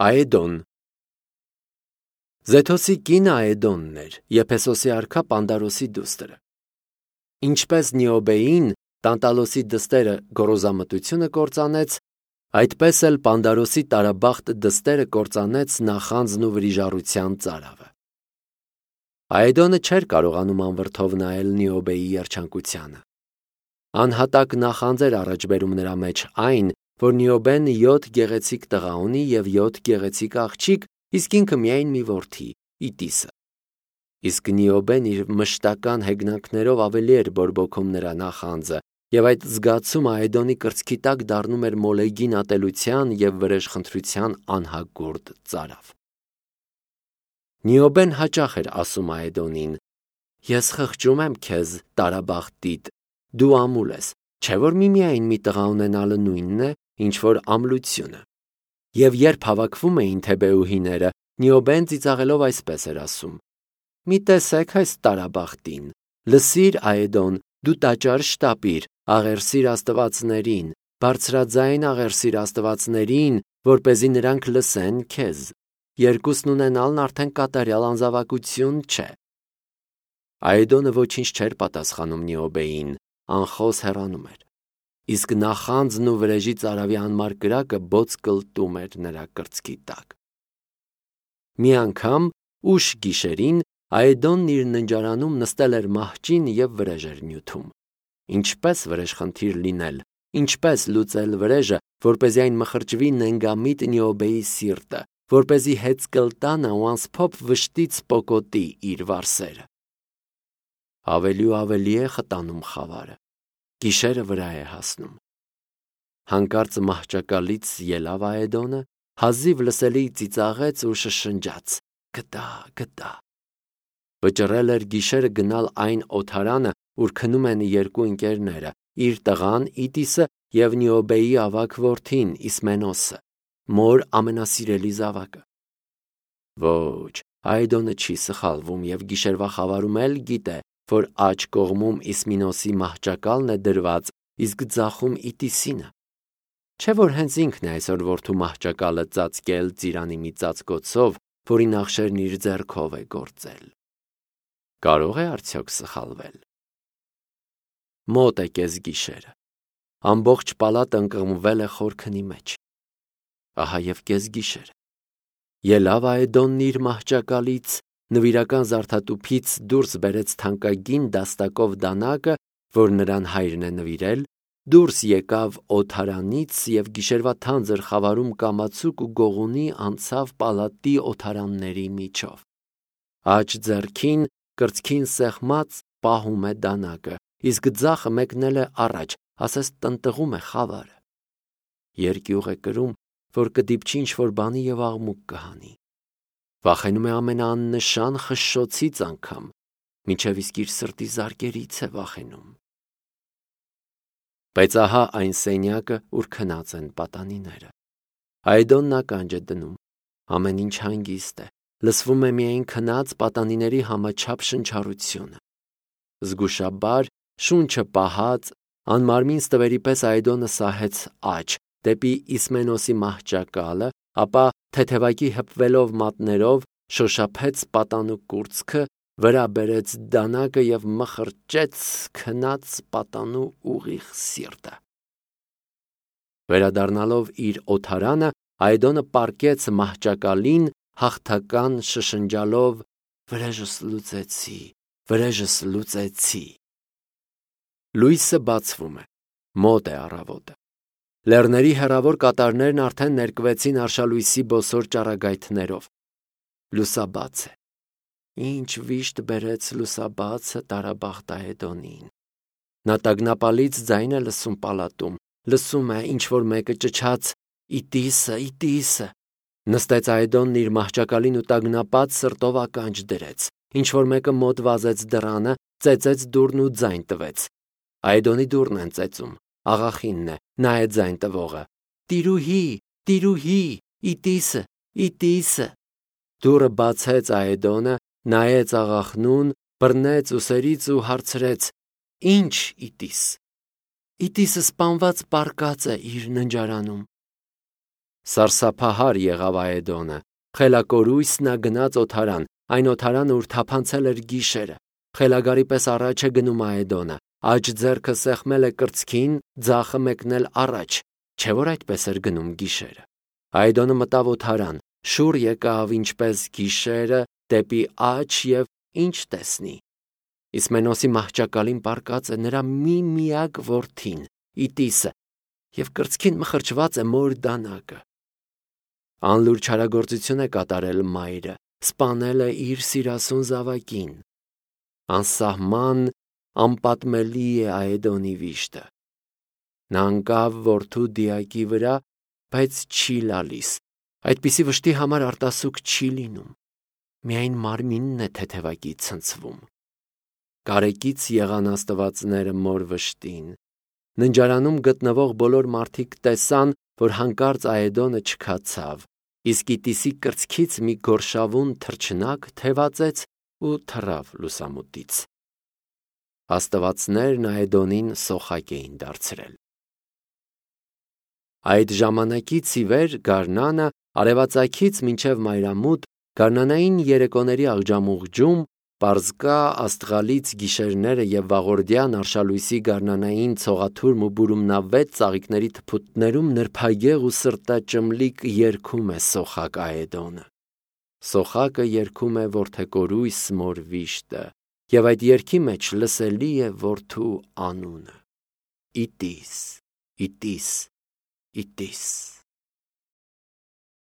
Աեդոն Զեթոսի կինը Աեդոնն էր, Եփեսոսի արքա Պանդարոսի դուստրը։ Ինչպես Նիոբեին Տանտալոսի դստերը գոռոզամտությունը կործանեց, այդպես էլ Պանդարոսի տարաբախտ դստերը կործանեց նախանձն ու վրիժառության ծարավը։ Աեդոնը չէր կարողանում անվրդով նայել Նիոբեի երջանկությանը։ Անհատակ նախանձ էր առաջ բերում նրա մեջ այն, որ Նիոբեն 7 գեղեցիկ տղա ունի և 7 գեղեցիկ աղջիկ, իսկ ինքը միայն մի որդի՝ Իտիսը։ Իսկ Նիոբեն իր մշտական հեգնանքներով ավելի էր բորբոքում նրա նախանձը, և այդ զգացումը Աեդոնի կրծքի տակ դառնում էր մոլեգին ատելության և վրեժխնդրության անհագուրդ ծարավ։ Նիոբեն հաճախ էր ասում Աեդոնին. «Ես խղճում եմ քեզ, տարաբախտիդ, դու ամուլ ես, չէ՞ որ միմիայն մի տղա ունենալը նույնն է, ինչ որ ամլությունը»։ Եվ երբ հավաքվում էին թեբեուհիները, Նիոբեն ծիծաղելով այսպես էր ասում. «Մի տեսեք այս տարաբախտին, լսիր Աեդոն, դու տաճար շտապիր, աղերսիր աստվածներին, բարձրաձայն աղերսիր աստվածներին, որպեսզի նրանք լսեն քեզ։ Երկուսն ունենալն արդեն կատարյալ անզավակություն չէ»։ Աեդոնը ոչինչ չէր պատասխանում Նիոբեին, անխոս հեռանում էր, իսկ նախանձն ու վրեժի ծարավի անմար կրակը բոց կլտում էր նրա կրծքի տակ։ Մի անգամ ուշ գիշերին Աեդոնն իր ննջարանում նստել էր մահճին և վրեժ էր նյութում։ Ինչպես վրեժխնդիր լինել, ինչպես լուծել վրեժը, որպեսզի այն մխրճվի նենգամիտ Նիոբեի սիրտը, որպեսզի հեծկլտանը ու անսփոփ վշտից պոկոտի իր վարսերը։ Ավելի ու ավելի է խտանում խավարը, գիշերը վրա է հասնում։ Հանկարծ մահճակալից ելավ Աեդոնը, հազիվ լսելի ծիծաղեց ու շշնջաց. «Գտա, գտա»։ Վճռել էր գիշերը գնալ այն օդարանը, ուր քնում են երկու ընկերները, իր տղան Իտիսը և Նիոբեի ավագ որդին Իսմենոսը, մոր ամենասիրելի զավակը։ Ոչ, Աեդոնը չի սխալվում և գիշերվա խավարում էլ գիտե, որ աջ կողմում Իսմենոսի մահճակալն է դրված, իսկ ձախում Իտիսինը։ Չէ՞ որ հենց ինքն է այսօր որդու մահճակալը ծածկել ծիրանի մի ծածկոցով, որի նախշերն իր ձեռքով է գործել։ Կարո՞ղ է արդյոք սխալվել։ Մոտ է կեսգիշերը։ Ամբողջ պալատը ընկղմվել է խորքնի մեջ։ Ահա և կեսգիշեր։ Ելավ Աեդոնն իր մահճակալից, նվիրական զարդատուփից դուրս բերեց թանկագին դաստակով դանակը, որ նրան հայրն է նվիրել, դուրս եկավ օդարանից և գիշերվա թանձր խավարում կամացուկ ու գողունի անցավ պալատի օդարանների միջով։ Աջ ձեռքին կրծքին սեղմած պահում է դանակը, իսկ ձախը մեկնել է առաջ, ասես տնտղում է խավարը։ Երկյուղ է կրում, որ կդիպչի ինչ-որ բանի և աղմուկ կհանի։ Վախենում է ամենաաննշան խշշոցից անգամ, մինչև իսկ իր սրտի զարկերից է վախենում։ Բայց ահա այն սենյակը, ուր քնած են պատանիները։ Աեդոնն ականջ է դնում, ամեն ինչ հանգիստ է, լսվում է միայն քնած պատանիների համաչափ շնչառությունը։ Զգուշաբար, շունչը պահած, անմարմին ստվերի պես Աեդոնը սահեց աջ, դեպի Իսմենոսի մահճակալը, ապա թեթևակի հպվելով մատներով շոշափեց պատանու կուրծքը, վրա բերեց դանակը և մխրճեց քնած պատանու ուղիղ սիրտը։ Վերադառնալով իր օդարանը, Աեդոնը պառկեց մահճակալին, հաղթական շշնջալով. «Վրեժս լուծեցի, վրեժս լուծեցի»։ Լույսը բացվում է, մոտ է առավոտը։ Լեռների հեռավոր կատարներն արդեն ներկվեցին արշալույսի բոսոր ճառագայթներով։ Լուսաբաց է։ Ինչ վիշտ բերեց լուսաբացը տարաբախտ Աեդոնին։ Նա տագնապալից ձայն է լսում պալատում, լսում է, ինչ-որ մեկը ճչաց. «Իտիսը, Իտիսը»։ Նստեց Աեդոնն իր մահճակալին ու տագնապած սրտով ականջ դրեց։ Ինչ-որ մեկը մոտ վազեց դռանը, ծեծեց դուռն ու ձայն տվեց։ Աեդոնի դուռն են ծեծում, աղախինն է, նա է ձայն տվողը։ «Տիրուհի, տիրուհի, Իտիսը, Իտիսը»։ Դուռը բացեց Աեդոնը, նայեց աղախնուն, բռնեց ուսերից ու հարցրեց. «Ի՞նչ Իտիս»։ «Իտիսը սպանված պառկած է իր ննջարանում»։ Սարսափահար եղավ Աեդոնը, խելակորույս նա գնաց օթարան, այն օթարանը, ուր թափանցել էր գիշերը։ Խելագարի պես առաջ է գնում Աեդոնը, աջ ձեռքը սեղմել է կրծքին, ձախը մեկնել առաջ, չէ՞ որ այդպես էր գնում գիշերը։ Աեդոնը մտավ օթարան, շուռ եկավ ինչպես գիշերը դեպի աջ և ինչ տեսնի։ Իսմենոսի մահճակալին պառկած է նրա միակ որդին, Իտիսը, և կրծքին մխրճված է մոր դանակը։ Անլուր չարագործություն է կատարել մայրը, սպանել է իր սիրասուն զավակին։ Անսահման, անպատմելի է Աեդոնի վիշտը։ Նա ընկավ որդու դիակի վրա, բայց չի լալիս, այդպիսի վշտի համար արտասուք չի լինում, միայն մարմինն է թեթևակի ցնցվում։ Կարեկից եղան աստվածները մոր վշտին։ Ննջարանում գտնվող բոլոր մարդիկ տեսան, որ հանկարծ Աեդոնը չքացավ, իսկ Իտիսի կրծքից մի գորշավուն թռչնակ թևածեց ու թռավ լուսամուտից։ Աստվածներն Աեդոնին սոխակ էին դարձրել։ Այդ ժամանակից ի վեր գարնանը արևածագից մինչև մայրամուտ գարնանային երեկոների աղջամուղջում պարզկա աստղալից գիշերները և վաղորդյան արշալույսի գարնանային ցողաթուրմ ու բուրումնավետ ծաղիկների թփուտներում նրբագեղ ու սրտաճմլիկ երգում է սոխակ Աեդոնը։ Սոխակը երգում է որդեկորույս մոր վիշտը, և այդ երգի մեջ լսելի է որդու անունը՝ Իտիս, Իտիս, Իտիս։